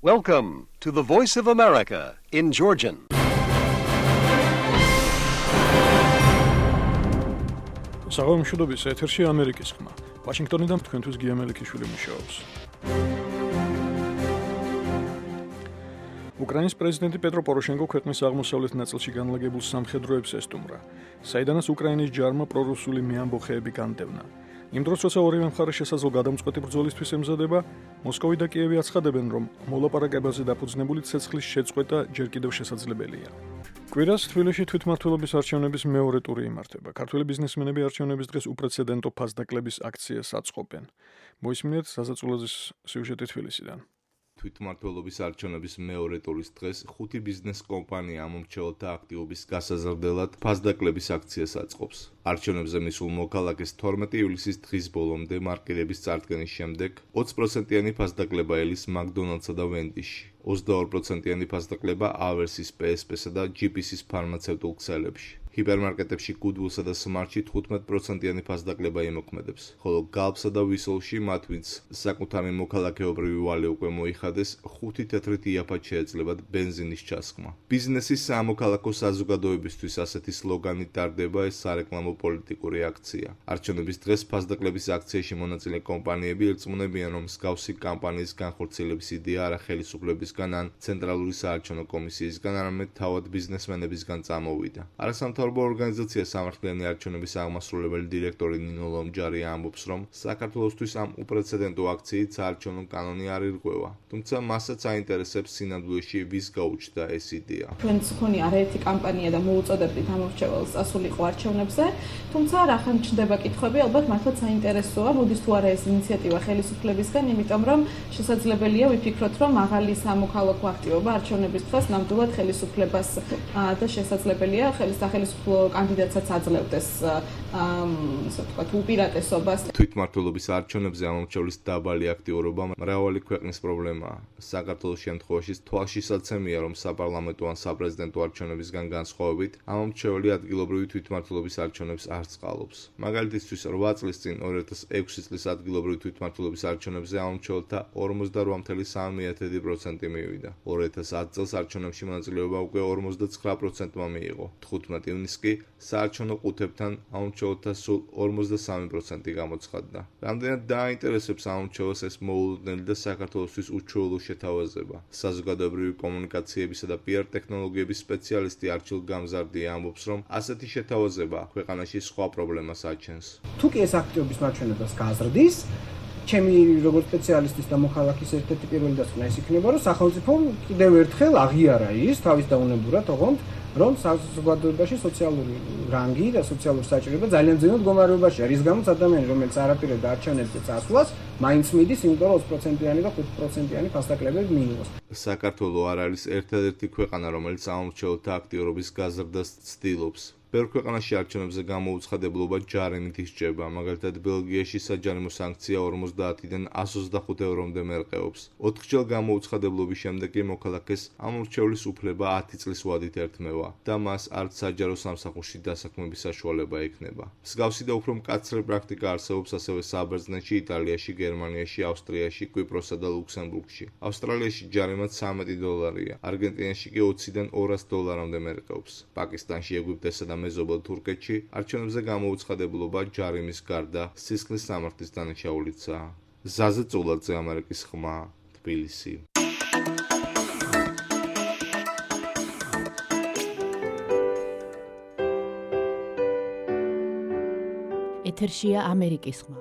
Welcome to the Voice of America in Georgian. საღამოშობების ეთერში ამერიკის ხმა. ვაშინგტონიდან თქვენთვის გია მელიქიშვილი მუშაობს. უკრაინის პრეზიდენტი პეტრო პოროშენკო ქვეყნის აღმოსავლეთ ნაწილში განლაგებულ სამხედროებს ესტუმრა, საიდანაც უკრაინის ჯარმა პრორუსული მეამბოხეები განდევნა. იმ დროს, როცა ორივე მხარე შესაძლო გადამწყვეტი ბრძოლისთვის ემზადება, მოსკოვი და კიევი აცხადებენ, რომ მოლაპარაკებაზე დაფუძნებული ცეცხლის შეწყვეტა ჯერ კიდევ შესაძლებელია. კვირას თბილისში თვითმმართველობის არჩევნების მეორე ტური იმართება. ქართველი ბიზნესმენები არჩევნების დღეს უპრეცედენტო ფასდაკლების აქციას აწყობენ. მოისმინეთ საზაწულაძის სიუჟეტი თბილისიდან. თვითმმართველობის არჩევნების მეორე ტურის დღეს 5 ბიზნეს კომპანია ამომრჩეველთა აქტივობის გასაზრდელად ფასდაკლების აქციას აწყობს. არჩევნებზე მისულ მოქალაქეს 12 ივლისის დღის ბოლომდე მარკირების წარდგენის შემდეგ 20%-იანი ფასდაკლება ელის მაკდონალდსა და ვენდიში, 22%-იანი ფასდაკლება ავერსის, PSP-სა და GPC-ის ფარმაცევტულ ქსელებში. ჰიპერმარკეტებში Goodwill-სა და Smart-ში 15%-იანი ფასდაკლება იმოქმედებს, ხოლო Galp-სა და Whistle-ში მათ, ვინც საკუთარი მოქალაქეობრივი ვალი უკვე მოიხადეს, 5 თეთრით იაფად შეეძლებათ ბენზინის ჩასხმა. ბიზნესის სამოქალაქო საზოგადოებისთვის ასეთი სლოგანით ტარდება ეს სარეკლამო პოლიტიკური აქცია. არჩევნების დღეს ფასდაკლების აქციაში მონაწილე კომპანიები ირწმუნებიან, რომ მსგავსი კამპანიის განხორციელების იდეა არა ხელისუფლებისგან ან ცენტრალური საარჩევნო კომისიისგან, არამედ თავად ბიზნესმენებისგან წამოვიდა. არასამთავრობო ორგანიზაცია სამართლიანი არჩევნების აღმასრულებელი დირექტორი ნინო ლომჯარი ამბობს, რომ საქართველოსთვის ამ უპრეცედენტო აქციით საარჩევნო კანონი არ ირღვევა, თუმცა მასაც აინტერესებს სინამდვილეში ვის გაუჩნდა ეს იდეა. ჩვენც მქონი არაერთი კამპანია და მოუწოდებდით ამომრჩეველს წასულიყო არჩევნებზე, თუმცა რახან ჩნდება კითხვები, ალბათ მართლაც საინტერესოა, მოდის თუ არა ეს ინიციატივა ხელისუფლებისგან, იმიტომ რომ შესაძლებელია ვიფიქროთ, რომ მაღალი სამოქალაქო აქტივობა არჩევნების დღეს ნამდვილად ხელისუფლებას და შესაძლებელია სახელმწიფო კანდიდატსაც აძლევდეს ასე ვთქვათ უპირატესობას. თვითმმართველობის არჩევნებზე ამომრჩევლის დაბალი აქტიურობა მრავალი ქვეყნის პრობლემაა. საქართველოს შემთხვევაში თვალშისაცემია, რომ საპარლამენტო ან საპრეზიდენტო არჩევნებისგან განსხვავებით, ამომრჩეველი ადგილობრივი თვითმმართველობის არჩევნებს არ წყალობს. მაგალითისთვის 8 წლის წინ 2006 წლის ადგილობრივი თვითმმართველობის არჩევნებზე ამომრჩეველთა 48.3% მივიდა. 2010 წელს არჩევნებში მონაწილეობა უკვე 49%-მა მიიღო. 15 ივნისს კი საარჩევნო ყუთებთან ამომრჩეველთა სულ 53% გამოცხადდა. რამდენად დააინტერესებს ამომრჩეველს ეს მოულოდნელი და საქართველოსთვის უჩვეულო შეთავაზება. საზოგადოებრივი კომუნიკაციებისა და PR ტექნოლოგიების სპეციალისტი არჩილ გამზარდია ამბობს, რომ ასეთი შეთავაზება ქვეყანაში სხვა პრობლემას აჩენს. თუ კი ეს აქტივობის მაჩვენებას გაზრდის, ჩემი როგორც სპეციალისტის და მოქალაქის ერთ-ერთი პირველი დასკვნა ის იქნება, რომ სახელმწიფომ კიდევ ერთხელ აღიარა ის თავის დაუნებურად, რომ საზოგადოებაში სოციალური რანგი და სოციალური საჭიროება ძალიან ძნელ მდგომარეობაშია, რის გამოც ადამიანი, რომელიც არაპირებდა არჩევნებზე წასვლას, მაინც მიდის, იმიტომ რომ 20%-იანი და 5%-იანი ფასდაკლებები მიიღოს. საქართველო არ არის ერთადერთი ქვეყანა, რომელიც ამომრჩეველთა აქტიურობის გაზრდას ცდილობს. ბევრ ქვეყანაში არჩევნებზე გამოუცხადებლობა ჯარიმით ისჯება, მაგალითად ბელგიაში საჯარიმო სანქცია 50-დან 125 ევრომდე მერყეობს. 4-ჯერ გამოუცხადებლობის შემდეგ კი მოქალაქეს ამომრჩევლის უფლება 10 წლის ვადით ერთმევა და მას არც საჯარო სამსახურში დასაქმების საშუალება ექნება. მსგავსი და უფრო მკაცრი პრაქტიკა არსებობს ასევე საბერძნეთში, იტალიაში, გერმანიაში, ავსტრიაში, კვიპროსსა და ლუქსემბურგში. ავსტრალიაში ჯარიმად $13, არგენტინაში კი $20-დან $200 მერყეობს. პაკისტანში, ეგვიპტესა და მეზობელ თურქეთში არჩევნებზე გამოუცხადებლობა ჯარიმის გარდა სისხლის სამართლის დანაშაულიცაა. ზაზე წულაძე, ამერიკის ხმა, თბილისი. ეთერშია ამერიკის ხმა.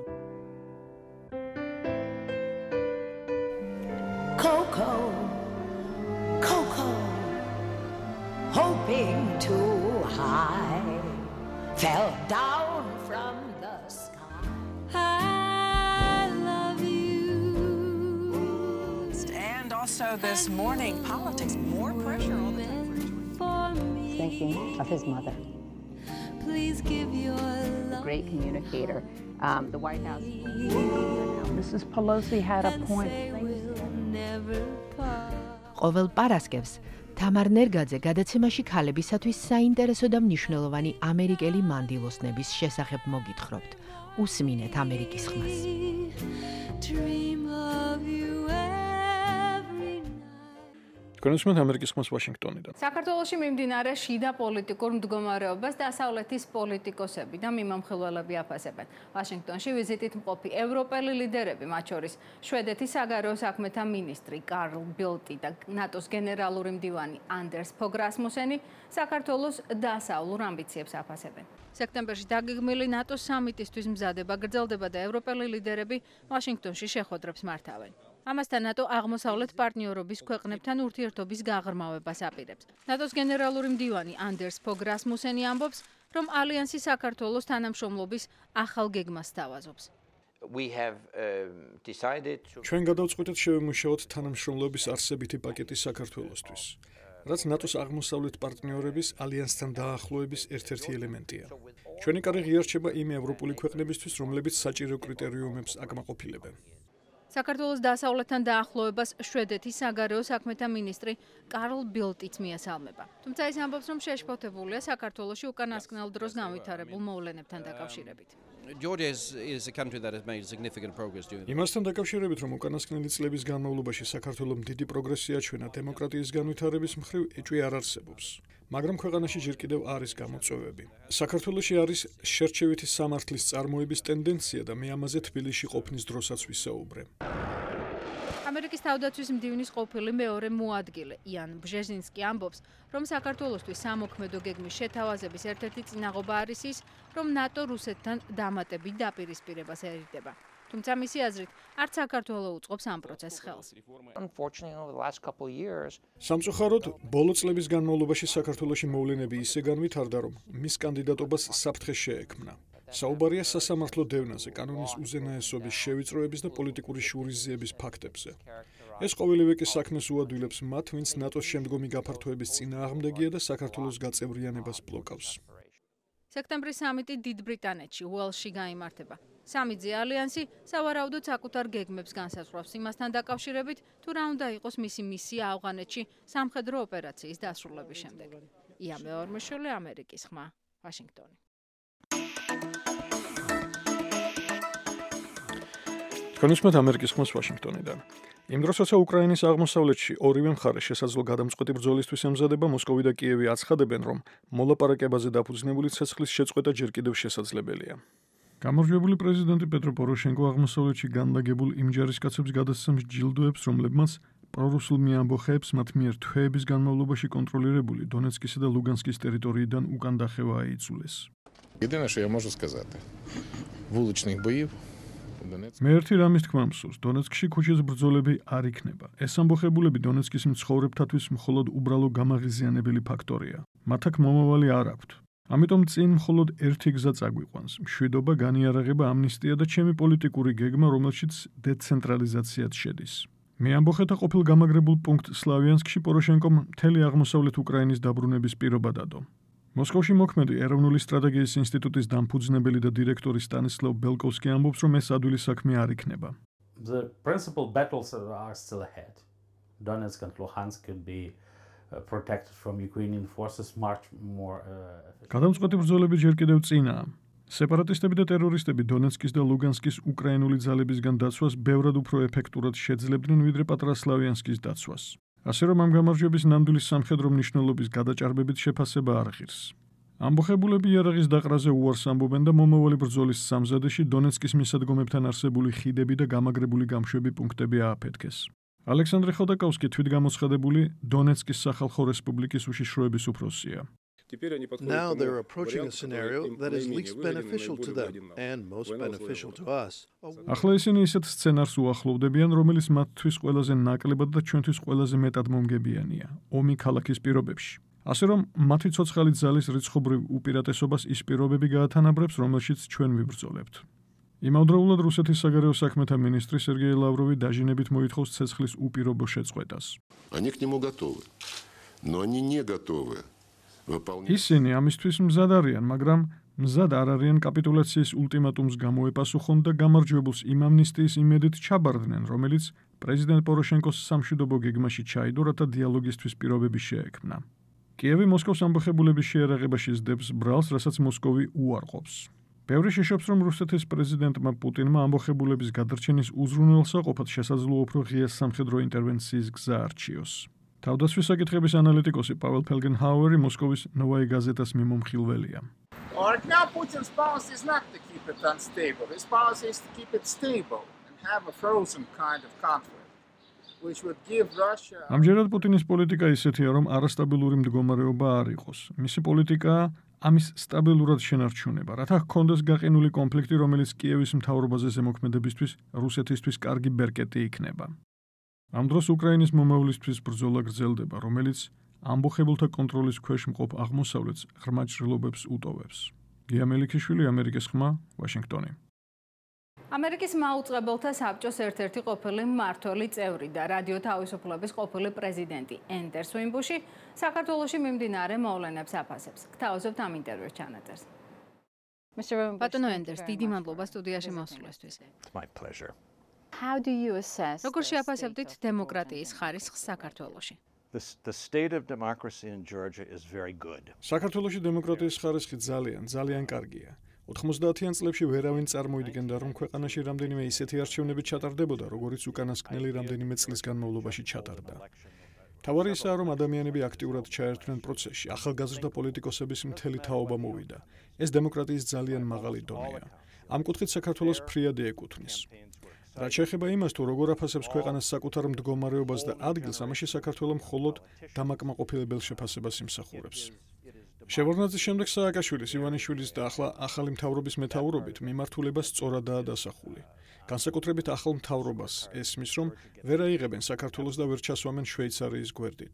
Hoping too high, fell down from the sky. I love you. And also this morning, politics, more pressure on the Thinking of his mother. Please give your love. Great communicator. The White House. Mrs. Pelosi had a point. ყოველ პარასკევს თამარ ნერგაძე გადაცემაში ქალებისათვის საინტერესო და მნიშვნელოვანი ამერიკელი მანდილოსნების შესახებ მოგითხრობთ. უსმინეთ ამერიკის ხმას. თქვენისმეთ ამერიკის ხმას ვაშინგტონიდან. საქართველოში მიმდინარე შიდა პოლიტიკურ მდგომარეობას დასავლეთის პოლიტიკოსები და მიმამხილველები აფასებენ. ვაშინგტონში ვიზიტით მყოფი ევროპელი ლიდერები, მათ შორის შვედეთის საგარეო საქმეთა მინისტრი კარლ ბილტი და ნატოს გენერალური მდივანი ანდერს ფოგ რასმუსენი საქართველოს დასავლურ ამბიციებს აფასებენ. სექტემბერში დაგეგმილი ნატოს სამიტისთვის მზადება გრძელდება და ევროპელი ლიდერები ვაშინგტონში შეხვედრებს მართავენ. ამასთან ნატო აღმოსავლეთ პარტნიორობის ქვეყნებთან ურთიერთობის გაღრმავებას აპირებს. ნატოს გენერალური მდივანი ანდერს ფოგ რასმუსენი ამბობს, რომ ალიანსი საქართველოს თანამშრომლობის ახალ გეგმას სთავაზობს. ჩვენ გადავწყვიტეთ შევემუშაოთ თანამშრომლობის არსებითი პაკეტი საქართველოსთვის, რაც ნატოს აღმოსავლეთ პარტნიორების ალიანსთან დაახლოების ერთ-ერთი ელემენტია. ჩვენი კარი ღიარჩება იმ ევროპული ქვეყნებისთვის, რომლებიც საჭირო კრიტერიუმებს აკმაყოფილებენ. საქართველოს დასავლეთთან დაახლოებას შვედეთის საგარეო საქმეთა მინისტრი კარლ ბილტიც მიესალმება. თუმცა ის ამბობს, რომ შეშფოთებულია საქართველოში უკანასკნელ დროს განვითარებულ მოვლენებთან დაკავშირებით. იმასთან დაკავშირებით, რომ უკანასკნელი წლების განმავლობაში საქართველომ დიდი პროგრესი აჩვენა დემოკრატიის განვითარების მხრივ, ეჭვი არ არსებობს. მაგრამ ქვეყანაში ჯერ კიდევ არის გამოწვევები. საქართველოში არის შერჩევითი სამართლის წარმოების ტენდენცია და მე ამაზე თბილისში ყოფნის დროსაც ვისაუბრე. ამერიკის თავდაცვის მდივნის ყოფილი მეორე მოადგილე იან ბჟეზინსკი ამბობს, რომ საქართველოსთვის სამოქმედო გეგმის შეთავაზების ერთ-ერთი წინაღობა არის ის, რომ ნატო რუსეთთან დამატებით დაპირისპირებას ერიდება. თუმცა მისი აზრით, არც საქართველო უწყობს ამ პროცესს ხელს. სამწუხაროდ, ბოლო წლების განმავლობაში საქართველოში მოვლენები ისე განვითარდა, რომ მის კანდიდატობას საფრთხე შეექმნა. საუბარია სასამართლო დევნაზე, კანონის უზენაესობის შევიწროების და პოლიტიკური შურისძიების ფაქტებზე. ეს ყოველივე კი საქმეს უადვილებს მათ, ვინც ნატოს შემდგომი გაფართოების წინააღმდეგია და საქართველოს გაწევრიანებას ბლოკავს. სექტემბრის სამიტი დიდ ბრიტანეთში, უელსში გაიმართება. სამიძე ალიანსი სავარაუდოდ საკუთარ გეგმებს განსაზღვრავს იმასთან დაკავშირებით, თუ რა უნდა იყოს მისი მისია ავღანეთში სამხედრო ოპერაციის დასრულების შემდეგ. ია მეორმეშვილი, ამერიკის ხმა, ვაშინგტონი. თქვენისმეთ ამერიკის ხმას ვაშინგტონიდან. იმ დროს, როცა უკრაინის აღმოსავლეთში ორივე მხარე შესაძლო გადამწყვეტი ბრძოლისთვის ემზადება, მოსკოვი და კიევი აცხადებენ, რომ მოლაპარაკებაზე დაფუძნებული ცეცხლის შეწყვეტა ჯერ კიდევ შესაძლებელია. გამარჯვებული პრეზიდენტი პეტრო პოროშენკო აღმოსავლეთში განლაგებულ იმ ჯარისკაცებს გადასცემს ჯილდოებს, რომლებმაც პრორუსულმი ამბოხეებს მათ მიერ თვეების განმავლობაში კონტროლირებული დონეცკისა და ლუგანსკის ტერიტორიიდან უკან დახევა აიძულეს. Єдине, що я можу сказати, вуличних боїв მე ერთი რამის თქმა მსურს, დონეცკში ქუჩის ბრძოლები არ იქნება. ეს ამბოხებულები დონეცკის მცხოვრებთათვის მხოლოდ უბრალო გამაღიზიანებელი ფაქტორია. მათ აქ მომავალი არ აქვთ. ამიტომ წინ მხოლოდ ერთი გზა წაგვიყვანს: მშვიდობა, განიარაღება, ამნისტია და ჩემი პოლიტიკური გეგმა, რომელშიც დეცენტრალიზაციაც შედის. მე ამბოხეთა ყოფილ გამაგრებულ პუნქტ სლავიანსკში პოროშენკომ მთელი აღმოსავლეთ უკრაინის დაბრუნების პირობა დადო. მოსკოვში მოქმედი ეროვნული სტრატეგიის ინსტიტუტის დამფუძნებელი და დირექტორი სტანისლავ ბელკოვსკი ამბობს, რომ ეს ადვილი საქმე არ იქნება. The principal battles are still ahead. Donetsk and Luhansk could be protected from Ukrainian forces much more. გადამწყვეტი ბრძოლები ჯერ კიდევ წინაა. სეპარატისტები და ტერორისტები დონეცკის და ლუგანსკის უკრაინული ძალებისგან დაცვას ბევრად უფრო ეფექტურად შეძლებდნენ, ვიდრე პატრა სლავიანსკის დაცვას. ასე რომ ამ გამარჯვების ნამდვილი სამხედრო მნიშვნელობის გადაჭარბებით შეფასება არ ღირს. ამბოხებულები იარაღის დაყრაზე უარს ამბობენ და მომავალი ბრძოლის სამზადეში დონეცკის მისადგომებთან არსებული ხიდები და გამაგრებული გამშვები პუნქტები ააფეთქეს. ალექსანდრე ხოდაკოვსკი თვითგამოცხადებული დონეცკის სახალხო რესპუბლიკის უშიშროების უფროსია. Now they're approaching a scenario that is least beneficial to them and most beneficial to us. ახლა ისინი ისეთ სცენარს უახლოვდებიან, რომელიც მათთვის ყველაზე ნაკლებად და ჩვენთვის ყველაზე მეტად მომგებიანია, ომი ქალაქის პირობებში. ასე რომ მათი ცოცხალი ძალის რიცხობრივ უპირატესობას ის პირობები გაათანაბრებს, რომელშიც ჩვენ ვიბრძოლებთ. იმავდროულად რუსეთის საგარეო საქმეთა მინისტრი სერგეი ლავროვი დაჟინებით მოითხოვს ცეცხლის უპირობო შეწყვეტას. Они к нему готовы, но они не готовы. ისინი ამისთვის მზად არიან, მაგრამ მზად არ არიან კაპიტულაციის ულტიმატუმს გამოეპასუხონ და გამარჯვებულს იმ ამნისტიის იმედით ჩაბარდნენ, რომელიც პრეზიდენტ პოროშენკოს სამშვიდობო გეგმაში ჩაიდო, რათა დიალოგისთვის პირობები შეექმნა. კიევი მოსკოვს ამბოხებულების შეერაღებაში სდებს ბრალს, რასაც მოსკოვი უარყოფს. ბევრი შეშობს, რომ რუსეთის პრეზიდენტმა პუტინმა ამბოხებულების გადარჩენის უზრუნველსაყოფად შესაძლოა უფრო ღია სამხედრო ინტერვენციის გზა არჩიოს. თავდაცვის საკითხების ანალიტიკოსი პაվել ფელგენჰაუერი მოსკოვის ნოვაი გაზეტას მიმომხილველია. Right now, Putin's policy is not to keep it unstable. His policy is to keep it stable and have a frozen kind of conflict, which would give Russia... ამჯერად პუტინის პოლიტიკა ისეთია, რომ არასტაბილური მდგომარეობა არ იყოს. მისი პოლიტიკა ამის სტაბილურად შენარჩუნება, რათა ჰქონდეს გაყინული კონფლიქტი, რომელიც კიევის მთავრობაზე ზემოქმედებისთვის რუსეთისთვის კარგი ბერკეტი იქნება. ამ დროს უკრაინის მომავლისთვის ბრძოლა გრძელდება, რომელიც ამბოხებულთა კონტროლის ქვეშ მყოფ აღმოსავლეთს ღრმა ჭრილობებს უტოვებს. გია მელიქიშვილი, ამერიკის ხმა, ვაშინგტონი. ამერიკის მაუწყებელთა საბჭოს ერთ-ერთი ყოფილი მმართველი წევრი და რადიო თავისუფლების ყოფილი პრეზიდენტი ენდერს უიმბუში საქართველოში მიმდინარე მოვლენებს აფასებს. გთავაზობთ ამ ინტერვიუს ჩანაწერს. ბატონო ენდერს, დიდი მადლობა სტუდიაში მოსვლისთვის. It's my pleasure. How do you assess? როგორ შეაფასებთ დემოკრატიის ხარისხს საქართველოში? The state of democracy in Georgia is very good. საქართველოში დემოკრატიის ხარისხი ძალიან კარგია. 90-იან წლებში ვერავინ წარმოიდგენდა, რომ ქვეყანაში რამდენიმე ისეთი არჩევნები ჩატარდებოდა, როგორიც უკანასკნელი რამდენიმე წლის განმავლობაში ჩატარდა. თავარი ისაა, რომ ადამიანები აქტიურად ჩაერთვნენ პროცესში, ახალგაზრდა პოლიტიკოსების მთელი თაობა მოვიდა. ეს დემოკრატიის ძალიან მაღალი დონეა. ამ კუთხით საქართველოს ფრიად ეკუთვნის. რაც შეეხება იმას, თუ როგორ აფასებს ქვეყანას საკუთარ მდგომარეობას და ადგილს, ამაში საქართველოს მხოლოდ დამაკმაყოფილებელ შეფასებას იმსახურებს. შევარდნაძის შემდეგ სააკაშვილის, ივანიშვილის და ახლა ახალი მთავრობის მეთაურობით მიმართულება სწორადაა დასახული. განსაკუთრებით ახალ მთავრობას ესმის, რომ ვერ აიღებენ საქართველოს და ვერ ჩასვამენ შვეიცარიის გვერდით.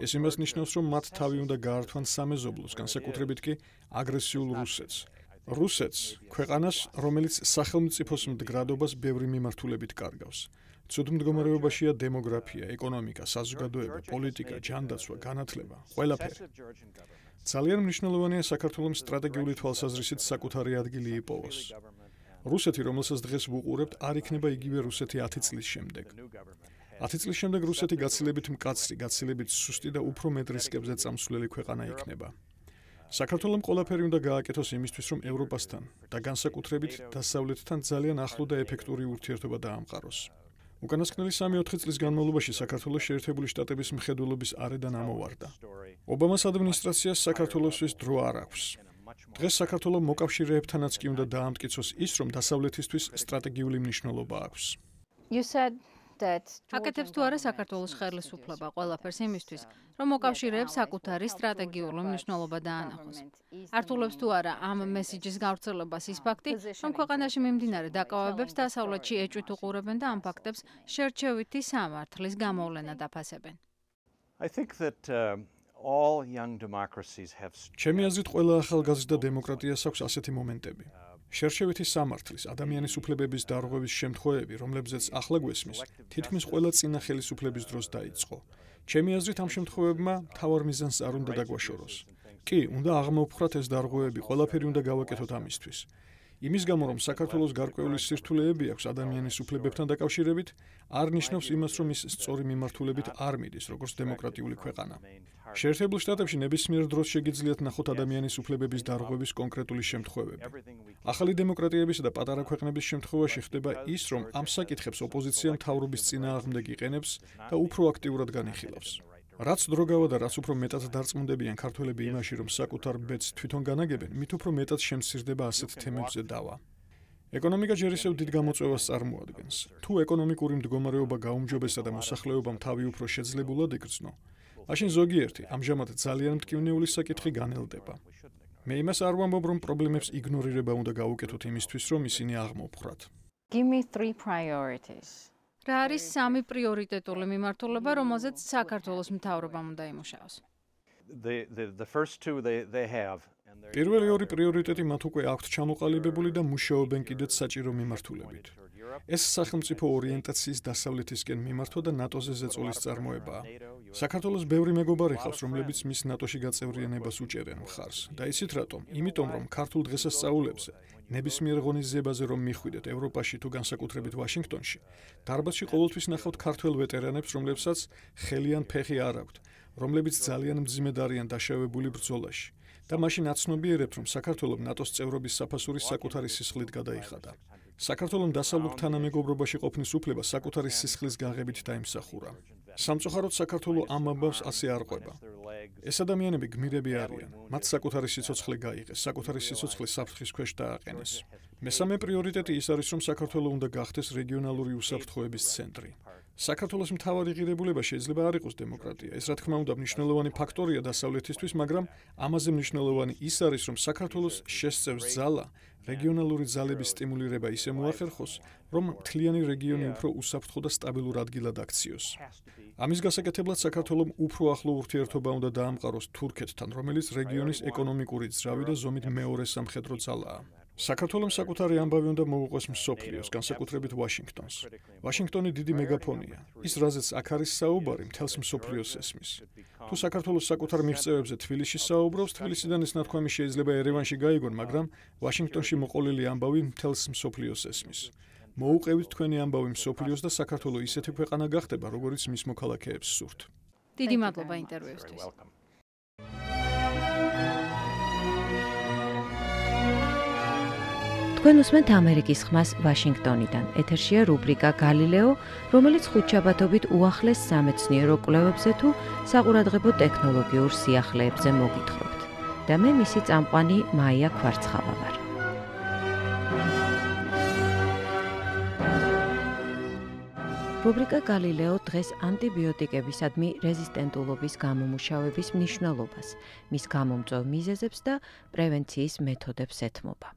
ეს იმას ნიშნავს, რომ მათ თავი უნდა გაართვან სამეზობლოს, განსაკუთრებით კი აგრესიულ რუსეთს. რუსეთს, ქვეყანას, რომელიც სახელმწიფოს მდგრადობას ბევრი მიმართულებით კარგავს. ცუდ მდგომარეობაშია დემოგრაფია, ეკონომიკა, საზოგადოება, პოლიტიკა, ჯანდაცვა, განათლება, ყველაფერი. ძალიან მნიშვნელოვანია საქართველოს სტრატეგიული თვალსაზრისით საკუთარი ადგილი იპოვოს. რუსეთი, რომელსაც დღეს ვუყურებთ, არ იქნება იგივე რუსეთი 10 წლის შემდეგ. 10 წლის შემდეგ რუსეთი გაცილებით მკაცრი, გაცილებით სუსტი და უფრო მეტ რისკებზე წამსვლელი ქვეყანა იქნება. საქართველოს ყველაფერი უნდა გააკეთოს იმისთვის, რომ ევროპასთან და განსაკუთრებით დასავლეთთან ძალიან ახლო და ეფექტური ურთიერთობა დაამყაროს. უკანასკნელი 3-4 წლის განმავლობაში საქართველოს შეერთებული შტატების მხედველობის არედან ამოვარდა. ობამას ადმინისტრაციას საქართველოსთვის დრო არ აქვს. დღეს საქართველოს მოკავშირეებთანაც კი უნდა დაამტკიცოს ის, რომ დასავლეთისთვის სტრატეგიული მნიშვნელობა აქვს. აკეთებს თუ არა საქართველოს ხელისუფლება ყველაფერს იმისთვის, რომ მოკავშირეებს საკუთარი სტრატეგიული მნიშვნელობა დაანახოს. ართულებს თუ არა ამ მესიჯის გავრცელებას ის ფაქტი, რომ ქვეყანაში მიმდინარე დაკავებებს დასავლეთში ეჭვით უყურებენ და ამ ფაქტებს შერჩევითი სამართლის გამოვლენა დაფასებენ. I think that all young democracies have ჩემი აზრით ყველა ახალგაზრდა დემოკრატიას აქვს ასეთი მომენტები. შერჩევითი სამართლის, ადამიანის უფლებების დარღვევის შემთხვევები, რომლებზეც ახლა გვესმის, თითქმის ყველა წინა ხელისუფლების დროს დაიწყო. ჩემი აზრით ამ შემთხვევებმა მთავარ მიზანს არ უნდა დაგვაშოროს. კი, უნდა აღმოვფხრათ ეს დარღვევები, ყველაფერი უნდა გავაკეთოთ ამისთვის. იმის გამო, რომ საქართველოს გარკვეული სირთულეები აქვს ადამიანის უფლებებთან დაკავშირებით, არ ნიშნავს იმას, რომ ის სწორი მიმართულებით არ მიდის, როგორც დემოკრატიული ქვეყანა. შეერთებულ შტატებში ნებისმიერ დროს შეგიძლიათ ნახოთ ადამიანის უფლებების დარღვევის კონკრეტული შემთხვევები. ახალი დემოკრატიებისა და პატარა ქვეყნების შემთხვევაში ხდება ის, რომ ამ საკითხებს ოპოზიცია მთავრობის წინააღმდეგ იყენებს და უფრო აქტიურად განიხილავს. რაც დრო გავა და რაც უფრო მეტად დარწმუნდებიან ქართველები იმაში, რომ საკუთარ ბედს თვითონ განაგებენ, მით უფრო მეტად შემცირდება ასეთ თემებზე დავა. ეკონომიკა ჯერ ისევ დიდ გამოწვევას წარმოადგენს. თუ ეკონომიკური მდგომარეობა გაუმჯობესდა და მოსახლეობამ თავი უფრო შეძლებულად იგრძნო, მაშინ ზოგიერთი, ამჟამად ძალიან მტკივნეული საკითხი განელდება. მე იმას არ ვამბობ, რომ პრობლემებს იგნორირება უნდა გაუკეთოთ იმისთვის, რომ ისინი აღმოვფხრათ. Give me 3 priorities. რა არის 3 პრიორიტეტული მიმართულება, რომელზეც საქართველოს მთავრობამ უნდა იმუშაოს? The first two they have. პირველი 2 პრიორიტეტი მათ უკვე აქვთ ჩამოყალიბებული და მუშაობენ კიდეც საჭირო მიმართულებით. ეს სახელმწიფო ორიენტაციის დასავლეთისკენ მიმართვა და ნატოზე ზეწოლის წარმოებაა. საქართველოს ბევრი მეგობარი ხავს, რომლებიც მის ნატოში გაწევრიანებას უჭერენ მხარს. და იცით რატომ? იმიტომ, რომ ქართულ დღესასწაულებზე, ნებისმიერ ღონისძიებაზე რომ მიხვიდეთ ევროპაში თუ განსაკუთრებით ვაშინგტონში, დარბაზში ყოველთვის ნახავთ ქართველ ვეტერანებს, რომლებსაც ხელი ან ფეხი არ აქვთ, რომლებიც ძალიან მძიმედ არიან დაშავებული ბრძოლაში. და მაშინ აცნობიერებთ, რომ საქართველოს ნატოს წევრობის საფასური საკუთარი სისხლით გადაიხადა. საქართველოს დასავლურ თანამეგობრობაში ყოფნის უფლება საკუთარი სისხლის გაღებით დაიმსახურა. სამწუხაროდ საქართველო ამ ამბავს ასე არ ყვება. ეს ადამიანები გმირები არიან. მათ საკუთარი სიცოცხლე გაიღეს, საკუთარი სიცოცხლე საფრთხის ქვეშ დააყენეს. მესამე პრიორიტეტი ის არის, რომ საქართველო უნდა გახდეს რეგიონალური უსაფრთხოების ცენტრი. საქართველოს მთავარი ღირებულება შეიძლება არ იყოს დემოკრატია. ეს რა თქმა უნდა მნიშვნელოვანი ფაქტორია დასავლეთისთვის, მაგრამ ამაზე მნიშვნელოვანი ის არის, რომ საქართველოს შესწევს ძალა რეგიონალური ძალების სტიმულირება ისე მოახერხოს, რომ მთლიანი რეგიონი უფრო უსაფრთხო და სტაბილურ ადგილად აქციოს. ამის გასაკეთებლად საქართველომ უფრო ახლო ურთიერთობა უნდა დაამყაროს თურქეთთან, რომელიც რეგიონის ეკონომიკური ძრავი და ზომით მეორე სამხედრო ძალაა. საქართველოს საკუთარი ამბავი უნდა მოუყვეს მსოფლიოს, განსაკუთრებით ვაშინგტონს. ვაშინგტონი დიდი მეგაფონია. ის რაზეც აქ არის საუბარი, მთელს მსოფლიოს ესმის. თუ საქართველოს საკუთარ მიღწევებზე თბილისში საუბრობს, თბილისიდან ეს ნათქვამი შეიძლება ერევანში გაიგონ, მაგრამ ვაშინგტონში მოყოლილი ამბავი მთელს მსოფლიოს ესმის. მოუყევით თქვენი ამბავი მსოფლიოს და საქართველო ისეთი ქვეყანა გახდება, როგორც მის მოქალაქეებს სურთ. დიდი მადლობა ინტერვიუსთვის. თქვენ უსმენთ ამერიკის ხმას ვაშინგტონიდან. ეთერშია რუბრიკა გალილეო, რომელიც ხუთშაბათობით უახლეს სამეცნიერო კვლევებზე თუ საყურადღებო ტექნოლოგიურ სიახლეებზე მოგითხრობთ. და მე მისი წამყვანი მაია ქვარცხავა ვარ. რუბრიკა გალილეო დღეს ანტიბიოტიკებისადმი რეზისტენტულობის გამომუშავების მნიშვნელობას, მის გამომწვევ მიზეზებს და პრევენციის მეთოდებს ეთმობა.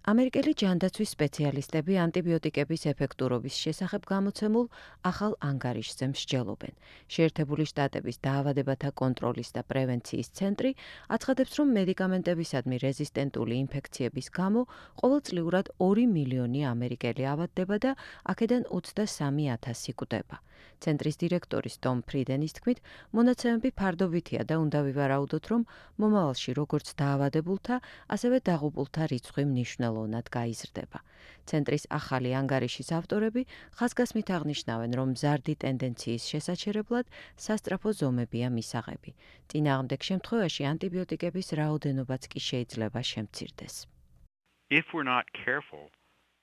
ამერიკელი ჯანდაცვის სპეციალისტები ანტიბიოტიკების ეფექტურობის შესახებ გამოცემულ ახალ ანგარიშზე მსჯელობენ. შეერთებული შტატების დაავადებათა კონტროლის და პრევენციის ცენტრი აცხადებს, რომ მედიკამენტებისადმი რეზისტენტული ინფექციების გამო ყოველწლიურად 2 მილიონი ამერიკელი ავადდება და აქედან 23,000 კვდება. ცენტრის დირექტორის ტომ ფრიდენის თქმით, მონაცემები ფარდობითია და უნდა ვივარაუდოთ, რომ მომავალში როგორც დაავადებულთა, ასევე დაღუპულთა რიცხვი მნიშვნელოვნად გაიზრდება. ცენტრის ახალი ანგარიშის ავტორები ხაზგასმით აღნიშნავენ, რომ მზარდი ტენდენციის შესაჩერებლად სასწრაფო ზომებია მისაღები. წინააღმდეგ შემთხვევაში ანტიბიოტიკების რაოდენობაც კი შეიძლება შემცირდეს.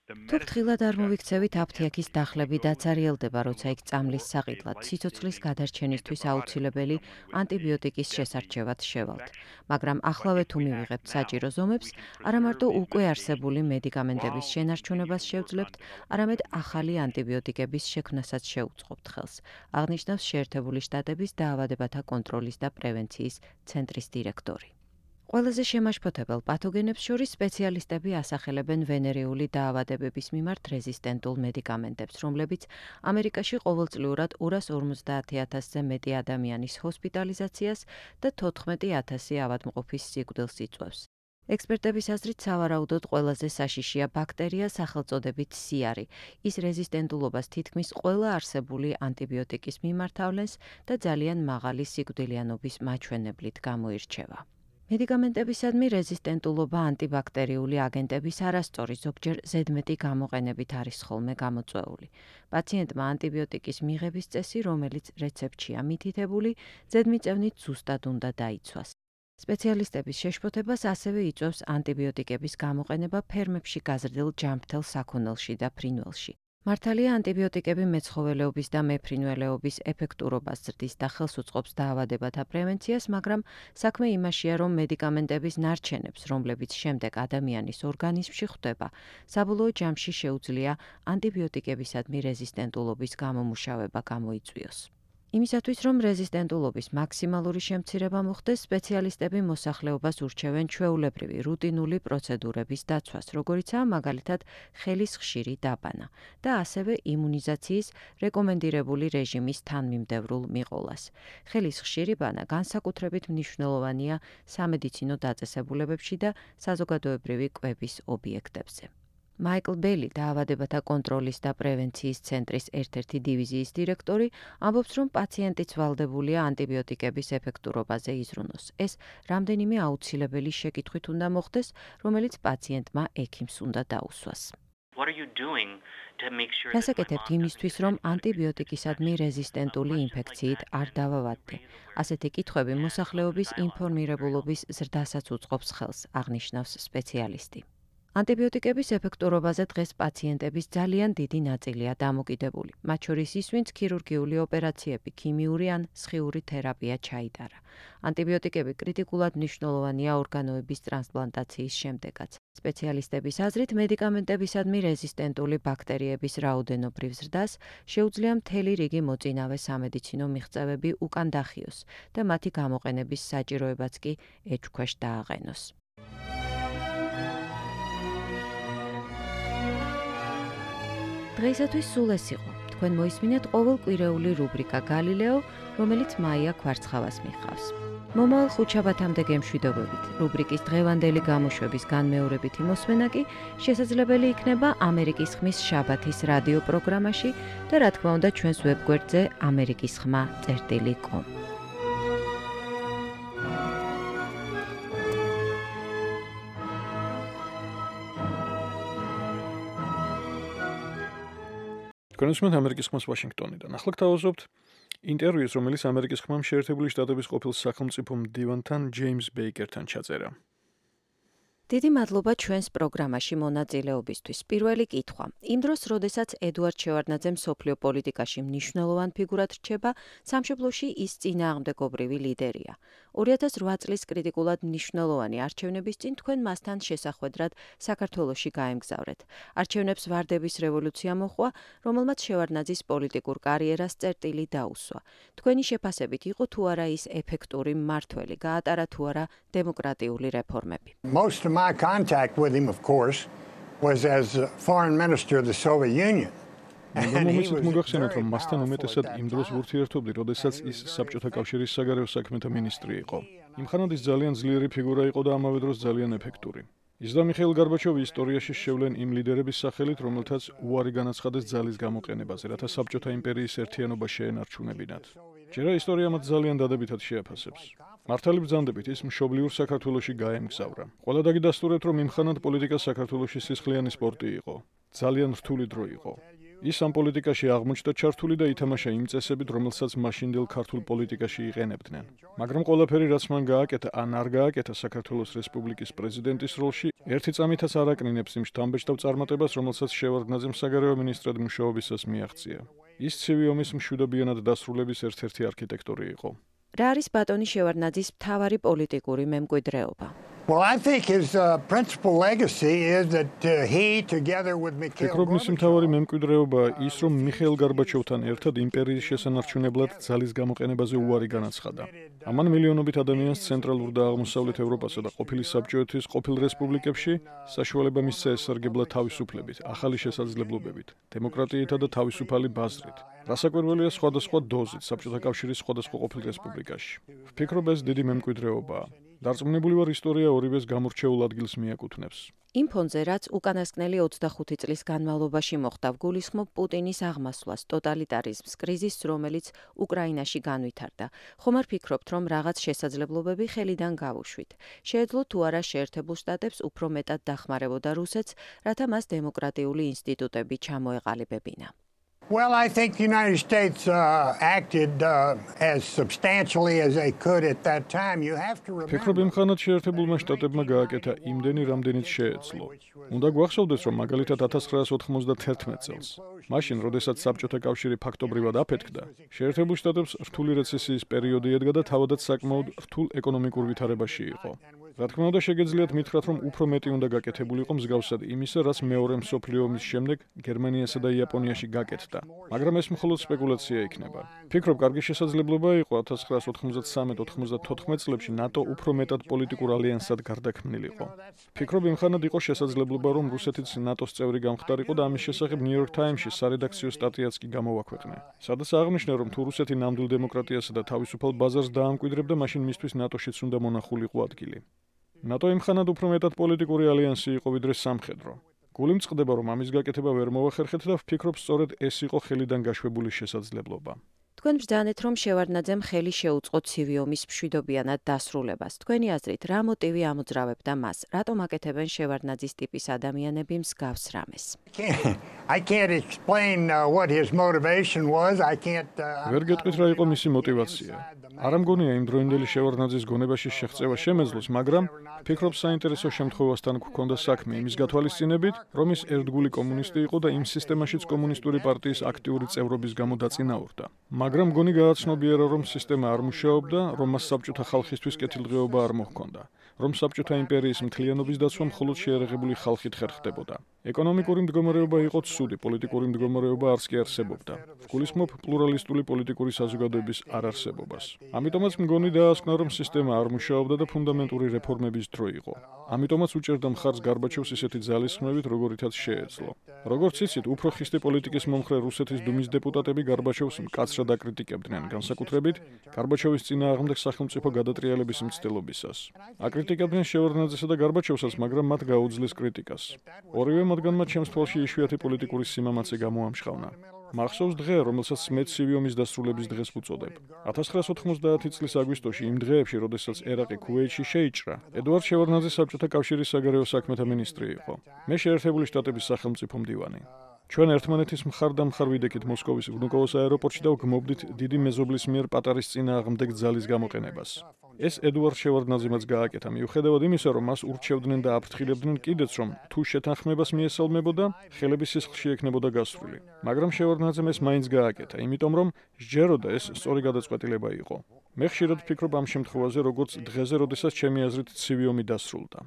თუ ფრთხილად არ მოვიქცევით, აფთიაქის დახლები დაცარიელდება, როცა იქ წამლის საყიდლად, სიცოცხლის გადარჩენისთვის აუცილებელი ანტიბიოტიკის შესარჩევად შევალთ. მაგრამ ახლავე თუ მივიღებთ საჭირო ზომებს, არა მარტო უკვე არსებული მედიკამენტების შენარჩუნებას შევძლებთ, არამედ ახალი ანტიბიოტიკების შექმნასაც შეუწყობთ ხელს, აღნიშნავს შეერთებული შტატების დაავადებათა კონტროლის და პრევენციის ცენტრის დირექტორი. ყველაზე შემაშფოთებელ პათოგენებს შორის სპეციალისტები ასახელებენ ვენერიული დაავადებების მიმართ რეზისტენტულ მედიკამენტებს, რომლებიც ამერიკაში ყოველწლიურად 250,000-ზე მეტი ადამიანის ჰოსპიტალიზაციას და 14,000 ავადმყოფის სიკვდილს იწვევს. ექსპერტების აზრით, სავარაუდოდ ყველაზე საშიშია ბაქტერია სახელწოდებით სიარი. ის რეზისტენტულობას თითქმის ყველა არსებული ანტიბიოტიკის მიმართ ავლენს და ძალიან მაღალი სიკვდილიანობის მაჩვენებლით გამოირჩევა. მედიკამენტებისადმი რეზისტენტულობა ანტიბაქტერიული აგენტების არასწორი, ზოგჯერ ზედმეტი გამოყენებით არის ხოლმე გამოწვეული. პაციენტმა ანტიბიოტიკის მიღების წესი, რომელიც რეცეპტშია მითითებული, ზედმიწევნით ზუსტად უნდა დაიცვას. სპეციალისტების შეშფოთებას ასევე იწვევს ანტიბიოტიკების გამოყენება ფერმებში გაზრდილ ჯანმრთელ საქონელში და ფრინველში. მართალია ანტიბიოტიკები მეცხოველეობის და მეფრინველეობის ეფექტურობას ზრდის და ხელს უწყობს დაავადებათა პრევენციას, მაგრამ საქმე იმაშია, რომ მედიკამენტების ნარჩენებს, რომლებიც შემდეგ ადამიანის ორგანიზმში ხვდება, საბოლოო ჯამში შეუძლია ანტიბიოტიკებისადმი რეზისტენტულობის გამომუშავება გამოიწვიოს. იმისათვის, რომ რეზისტენტულობის მაქსიმალური შემცირება მოხდეს, სპეციალისტები მოსახლეობას ურჩევენ ჩვეულებრივი რუტინული პროცედურების დაცვას, როგორიცაა მაგალითად ხელის ხშირი დაბანა და ასევე იმუნიზაციის რეკომენდირებული რეჟიმის თანმიმდევრულ მიყოლას. ხელის ხშირი ბანა განსაკუთრებით მნიშვნელოვანია სამედიცინო დაწესებულებებში და საზოგადოებრივი კვების ობიექტებზე. მაიკლ ბელი, დაავადებათა კონტროლის და პრევენციის ცენტრის ერთ-ერთი დივიზიის დირექტორი, ამბობს, რომ პაციენტიც ვალდებულია ანტიბიოტიკების ეფექტურობაზე იზრუნოს. ეს რამდენიმე აუცილებელი შეკითხვით უნდა მოხდეს, რომელიც პაციენტმა ექიმს უნდა დაუსვას. რასაკეთებთ იმისთვის, რომ ანტიბიოტიკისადმი რეზისტენტული ინფექციით არ დავავადდე? ასეთი კითხვები მოსახლეობის ინფორმირებულობის ზრდასაც უწყობს ხელს, აღნიშნავს სპეციალისტი. ანტიბიოტიკების ეფექტურობაზე დღეს პაციენტების ძალიან დიდი ნაწილია დამოკიდებული, მათ შორის ის, ვინც ქირურგიული ოპერაციები, ქიმიური ან სხიური თერაპია ჩაიტარა. ანტიბიოტიკები კრიტიკულად მნიშვნელოვანია ორგანოების ტრანსპლანტაციის შემდეგაც. სპეციალისტების აზრით, მედიკამენტებისადმი რეზისტენტული ბაქტერიების რაოდენობრივ ზრდას შეუძლია მთელი რიგი მოწინავე სამედიცინო მიღწევები უკან დახიოს და მათი გამოყენების საჭიროებაც კი ეჭვქვეშ დააყენოს. დღეისათვის სულ ეს იყო. თქვენ მოისმინეთ ყოველკვირეული რუბრიკა გალილეო, რომელიც მაია ქვარცხავას მიჰყავს. მომავალ ხუთშაბათამდე გემშვიდობებით. რუბრიკის დღევანდელი გამოშვების განმეორებითი მოსმენა კი შესაძლებელი იქნება ამერიკის ხმის შაბათის რადიო პროგრამაში და რა თქმა უნდა ჩვენს ვებგვერდზე amerikisxma.com. თქვენ უსმენთ ამერიკის ხმას ვაშინგტონიდან. ახლა გთავაზობთ ინტერვიუს, რომელიც ამერიკის ხმამ შეერთებული შტატების ყოფილ სახელმწიფო მდივანთან ჯეიმს ბეიკერთან ჩაწერა. დიდი მადლობა ჩვენს პროგრამაში მონაწილეობისთვის. პირველი კითხვა. იმ დროს, როდესაც ედუარდ შევარდნაძე მსოფლიო პოლიტიკაში მნიშვნელოვან ფიგურად რჩება, სამშობლოში ის წინააღმდეგობრივი ლიდერია. 2008 წლის კრიტიკულად მნიშვნელოვანი არჩევნების წინ თქვენ მასთან შესახვედრად საქართველოში გაემგზავრეთ. არჩევნებს ვარდების რევოლუცია მოჰყვა, რომელმაც შევარდნაძის პოლიტიკურ კარიერას წერტილი დაუსვა. თქვენი შეფასებით იყო თუ არა ის ეფექტური მმართველი, გაატარა თუ არა დემოკრატიული რეფორმები. My contact with him, of course, was as foreign minister of the Soviet Union. მომიცით მოგახსენოთ, რომ მასთან უმეტესად იმ დროს ვურთიერთობდი, როდესაც ის საბჭოთა კავშირის საგარეო საქმეთა მინისტრი იყო. იმხანად ის ძალიან ძლიერი ფიგურა იყო და ამავე დროს ძალიან ეფექტური. ის და მიხეილ გარბაჩოვი ისტორიაში შევლენ იმ ლიდერების სახელით, რომელთაც უარი განაცხადეს ძალის გამოყენებაზე, რათა საბჭოთა იმპერიის ერთიანობა შეენარჩუნებინათ. ჯერა ისტორია მათ ძალიან დადებითად შეაფასებს. მართალი ბრძანდებით ის მშობლიურ საქართველოში გაემგზავრა. ყველა დაგიდასტურეთ, რომ იმხანად პოლიტიკა საქართველოში სისხლიანი სპორტი იყო. ძალიან რთული დრო იყო. ის ამ პოლიტიკაში აღმოჩნდა ჩართული და ითამაშა იმ წესებით, რომელსაც მაშინდელ ქართულ პოლიტიკაში იყენებდნენ. მაგრამ ყველაფერი, რაც მან გააკეთა ან არ გააკეთა საქართველოს რესპუბლიკის პრეზიდენტის როლში, ერთი წამითაც არ აკნინებს იმ შთამბეჭდავ წარმატებას, რომელსაც შევარდნაძემ საგარეო მინისტრად მუშაობისას მიაღწია. ის ცივი ომის მშვიდობიანად დასრულების ერთ-ერთი არქიტექტორი იყო. რა არის ბატონი შევარდნაძის მთავარი პოლიტიკური მემკვიდრეობა? Well, I think his principal legacy is that he, together with Mikhail ფიქრობ, მისი მთავარი მემკვიდრეობა ის, რომ მიხეილ გარბაჩოვთან ერთად იმპერიის შესანარჩუნებლად ძალის გამოყენებაზე უარი განაცხადა. ამან მილიონობით ადამიანს ცენტრალურ და აღმოსავლეთ ევროპასა და ყოფილი საბჭოეთის ყოფილ რესპუბლიკებში საშუალება მისცა ესარგებლა თავისუფლებით, ახალი შესაძლებლობებით, დემოკრატიითა და თავისუფალი ბაზრით. რასაკვირველია სხვადასხვა დოზით საბჭოთა კავშირის სხვადასხვა ყოფილ რესპუბლიკაში. ვფიქრობ, ეს დიდი მემკვიდრეობაა. დარწმუნებული ვარ, ისტორია ორივეს გამორჩეულ ადგილს მიაკუთვნებს. იმ ფონზე, რაც უკანასკნელი 25 წლის განმავლობაში მოხდა, გულისხმობ პუტინის აღმასვლას, ტოტალიტარიზმს, კრიზისს, რომელიც უკრაინაში განვითარდა. ხომ არ ფიქრობთ, რომ რაღაც შესაძლებლობები ხელიდან გავუშვით? შეეძლო თუ არა შეერთებულ შტატებს უფრო მეტად დახმარებოდა რუსეთს, რათა მას დემოკრატიული ინსტიტუტები ჩამოეყალიბებინა? Well, I think the United States acted as substantially as they could at that time. You have to remember. ფიქრობ, იმხანად შეერთებულმა შტატებმა გააკეთა იმდენი, რამდენიც შეეძლო. უნდა გვახსოვდეს, რომ მაგალითად 1991 წელს, მაშინ, როდესაც საბჭოთა კავშირი ფაქტობრივად აფეთქდა, შეერთებულ შტატებს რთული რეცესიის პერიოდი ედგა და თავადაც საკმაოდ რთულ ეკონომიკურ ვითარებაში იყო. რა თქმა უნდა, შეგეძლიათ მითხრათ, რომ უფრო მეტი უნდა გაკეთებულიყო მსგავსად იმისა, რაც მეორე მსოფლიო ომის შემდეგ გერმანიასა და იაპონიაში გაკეთდა. მაგრამ ეს მხოლოდ სპეკულაცია იქნება. ფიქრობ, კარგი შესაძლებლობა იყო 1993-94 წლებში ნატო უფრო მეტად პოლიტიკურ ალიანსად გარდაქმნილიყო. ფიქრობ, იმხანად იყო შესაძლებლობა, რომ რუსეთიც ნატოს წევრი გამხდარიყო და ამის შესახებ New York Times-ში სარედაქციო სტატიაც კი გამოვაქვეყნა. სადაც აღნიშნა, რომ თუ რუსეთი ნამდვილ დემოკრატიასა და თავისუფალ ბაზარს დაამკვიდრებდა, მაშინ მისთვის ნატოშიც უნდა მონახულიყო ადგილი. ნატო იმხანად უფრო მეტად პოლიტიკური ალიანსი იყო ვიდრე სამხედრო. გული მწყდება, რომ ამის გაკეთება ვერ მოახერხეთ და ვფიქრობ, სწორედ ეს იყო ხელიდან გაშვებული შესაძლებლობა. თქვენ ბრძანეთ, რომ შევარდნაძემ ხელი შეუწყო ცივი ომის მშვიდობიანად დასრულებას. თქვენი აზრით, რა მოტივი ამოძრავებდა მას? რატომ აკეთებენ შევარდნაძის ტიპის ადამიანები მსგავს რამეს? I can't explain what his motivation was. I can't ვერ გეტყვით რა იყო მისი мотивация. არ ამგონია იმ დროინდელი შევარდნაძის გონებაში შეღწევა შემეძლოს, მაგრამ ფიქრობ საინტერესო შემთხვევასთან გვქონდა საქმე იმის გათვალისწინებით, რომ ის ერთგული კომუნისტი იყო და იმ სისტემაშიც კომუნისტური პარტიის აქტიური წევრობის გამო დაწინაურდა. მაგრამ გონი გააცნობიერა, რომ სისტემა არ მუშაობდა, რომ მას საბჭოთა ხალხისთვის კეთილდღეობა არ მოჰქონდა, რომ საბჭოთა იმპერიის მთლიანობის დაცვა მხოლოდ შეერაღებული ხალხით ხერხდებოდა. ეკონომიკური მდგომარეობა იყო ცუდი, პოლიტიკური მდგომარეობა არც კი არსებობდა. ვგულისხმობ პლურალისტული პოლიტიკური საზოგადოების არარსებობას. ამიტომაც მგონი დაასკვნა, რომ სისტემა არ მუშაობდა და ფუნდამენტური რეფორმების დრო იყო. ამიტომაც უჭერდა მხარს გარბაჩოვს ისეთი ძალისხმევით, როგორითაც შეეძლო. როგორც იცით, უფრო ხისტი პოლიტიკის მომხრე რუსეთის დუმის დეპუტატები გარბაჩოვს მკაცრად აკრიტიკებდნენ, განსაკუთრებით გარბაჩოვის წინააღმდეგ სახელმწიფო გადატრიალების მცდელობისას. აკრიტიკებდნენ შევარდნაძესა და გარბაჩოვსაც, მაგრამ მათ გაუძლეს კრიტიკას. ორივე მათგანმა ჩემს თვალში იშვიათი პოლიტიკური სიმამაცე გამოამშხავნა. მახსოვს დღე, რომელსაც მე ცივი ომის დასრულების დღეს ვუწოდებ. 1990 წლის აგვისტოში, იმ დღეებში, როდესაც ერაყი ქუვეითში შეიჭრა, ედუარდ შევარდნაძე საბჭოთა კავშირის საგარეო საქმეთა მინისტრი იყო. მე შეერთებული შტატების სახელმწიფო მდივანი. ჩვენ ერთმანეთის მხარ-დამხარ ვიდექით მოსკოვის ვნუკოვოს აეროპორტში და ვგმობდით დიდი მეზობლის მიერ პატარის წინააღმდეგ ძალის გამოყენებას. ეს ედუარდ შევარდნაძემაც გააკეთა, მიუხედავად იმისა, რომ მას ურჩევდნენ და აფრთხილებდნენ კიდეც, რომ თუ შეთანხმებას მიესალმებოდა, ხელების სისხლში ექნებოდა გასვლილი. მაგრამ შევარდნაძემ ეს მაინც გააკეთა, იმიტომ რომ სჯეროდა ეს სწორი გადაწყვეტილება იყო. მე ხშირად ვფიქრობ ამ შემთხვევაზე, როგორც დღეზე, როდესაც ჩემი აზრით ცივი ომი დასრულდა.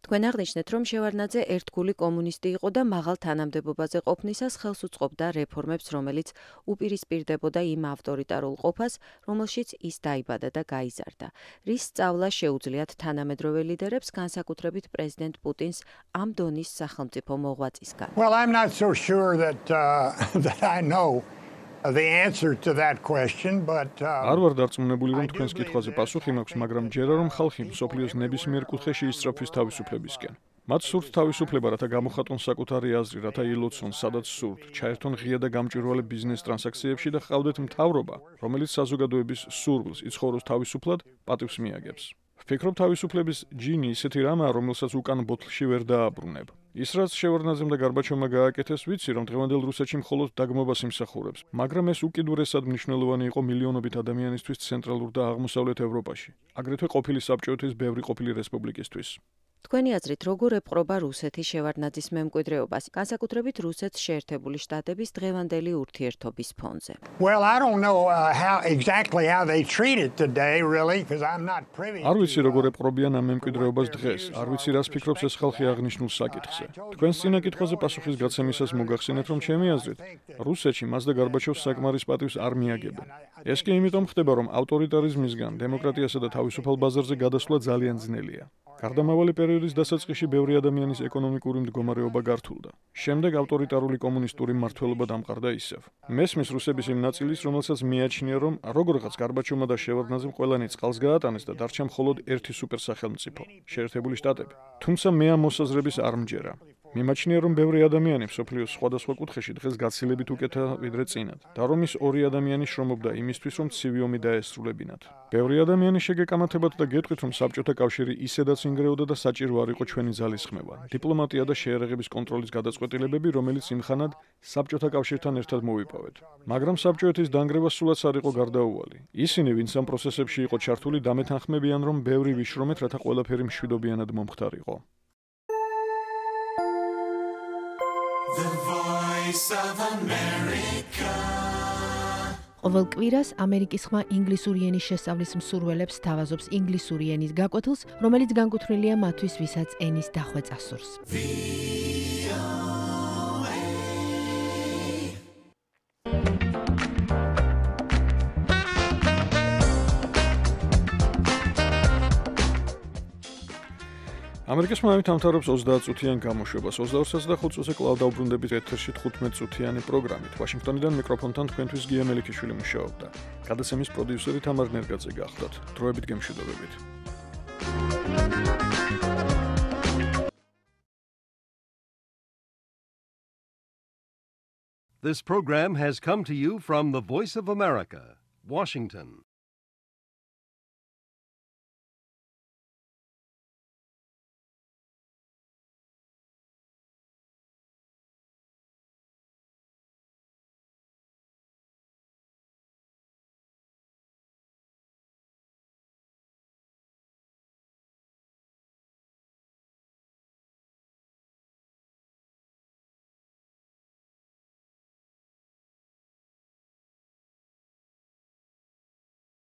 თქვენ აღნიშნეთ, რომ შევარდნაძე ერთგული კომუნისტი იყო და მაღალ თანამდებობაზე ყოფნისას ხელს უწყობდა რეფორმებს, რომელიც უპირისპირდებოდა იმ ავტორიტარულ ყოფას, რომელშიც ის დაიბადა და გაიზარდა. რის სწავლა შეუძლიათ თანამედროვე ლიდერებს, განსაკუთრებით პრეზიდენტ პუტინს ამ დონის სახელმწიფო მოღვაწისგან? Well, I'm not so sure that I know the answer to that question, but არ ვარ დარწმუნებული, რომ თქვენს კითხვაზე პასუხი მაქვს, მაგრამ ჯერა რომ ხალხი მსოფლიოს ნებისმიერ კუთხეში ისწრაფვის თავისუფლებისკენ. მათ სურთ თავისუფლება, რათა გამოხატონ საკუთარი აზრი, რათა ილოცონ, სადაც სურთ, ჩაერთონ ღია და გამჭვირვალე ბიზნეს ტრანზაქციებში და ჰყავდეთ მთავრობა, რომელიც საზოგადოების სურვილს იცხოვროს თავისუფლად, პატივს მიაგებს. ვფიქრობ, თავისუფლების ჯინი ისეთი რამაა, რომელსაც უკან ბოთლში ვერ დააბრუნებ. ის რაც შევარდნაძემ და გარბაჩოვმა გააკეთეს, ვიცი, რომ დღევანდელ რუსეთში მხოლოდ დაგმობას იმსახურებს, მაგრამ ეს უკიდურესად მნიშვნელოვანი იყო მილიონობით ადამიანისთვის ცენტრალურ და აღმოსავლეთ ევროპაში, აგრეთვე ყოფილი საბჭოეთის ბევრი ყოფილი რესპუბლიკისთვის. თქვენი აზრით, როგორ ეპყრობა რუსეთი შევარდნაძის მემკვიდრეობას, განსაკუთრებით რუსეთს შეერთებული შტატების დღევანდელი ურთიერთობის ფონზე? Well, I don't know exactly how they treat it today, really, because I'm not privy. არ ვიცი როგორ ეპყრობიან ამ მემკვიდრეობას დღეს, არ ვიცი რას ფიქრობს ეს ხალხი აღნიშნულ საკითხზე. თქვენს წინა კითხვაზე პასუხის გაცემისას მოგახსენეთ, რომ ჩემი აზრით, რუსეთში მას და გარბაჩოვს საკმარის პატივს არ მიაგებენ. ეს კი იმიტომ ხდება, რომ ავტორიტარიზმისგან დემოკრატიასა და თავისუფალ ბაზარზე გადასვლა ძალიან ძნელია. გარდამავალი პერიოდის დასაწყისში ბევრი ადამიანის ეკონომიკური მდგომარეობა გართულდა. შემდეგ ავტორიტარული კომუნისტური მმართველობა დამყარდა ისევ. მესმის რუსების იმ ნაწილის, რომელსაც მიაჩნია, რომ როგორღაც გარბაჩოვმა და შევარდნაძემ ყველანი წყალს გაატანეს და დარჩა მხოლოდ ერთი სუპერსახელმწიფო, შეერთებული შტატები. თუმცა მე ამ მოსაზრების არ მჯერა. მიმაჩნია, რომ ბევრი ადამიანი მსოფლიოს სხვადასხვა კუთხეში დღეს გაცილებით უკეთა ვიდრე წინათ და რომ ის ორი ადამიანი შრომობდა იმისთვის, რომ ცივი ომი დაესრულებინათ. ბევრი ადამიანი შეგეკამათებათ და გეტყვით, რომ საბჭოთა კავშირი ისედაც ინგრეოდა და საჭირო არ იყო ჩვენი ძალისხმევა, დიპლომატია და შეერაღების კონტროლის გადაწყვეტილებები, რომელიც იმხანად საბჭოთა კავშირთან ერთად მოვიპოვეთ. მაგრამ საბჭოეთის დანგრევა სულაც არ იყო გარდაუვალი. ისინი, ვინც ამ პროცესებში იყო ჩართული, დამეთანხმებიან, რომ ბევრი ვიშრომეთ, რათა ყველაფერი მშვიდობიანად მომხდარიყო. The Voice of America. ყოველ კვირას ამერიკის ხმა ინგლისური ენის შესწავლის მსურველებს თავაზობს ინგლისური ენის გაკვეთილს, რომელიც განკუთვნილია მათთვის, ვისაც ენის დახვეწა სურს. ამერიკის ხმამით ამთავრებს 30 წუთიან გამოშვებას. 22:05 წუთზე კვლავ დავბრუნდებით ეთერში 15 წუთიანი პროგრამით. ვაშინგტონიდან მიკროფონთან თქვენთვის გია მელიქიშვილი მუშაობდა. გადაცემის პროდიუსერი თამარ ნერგაძე გახლდათ. დროებით გემშვიდობებით. This program has come to you from the Voice of America, Washington.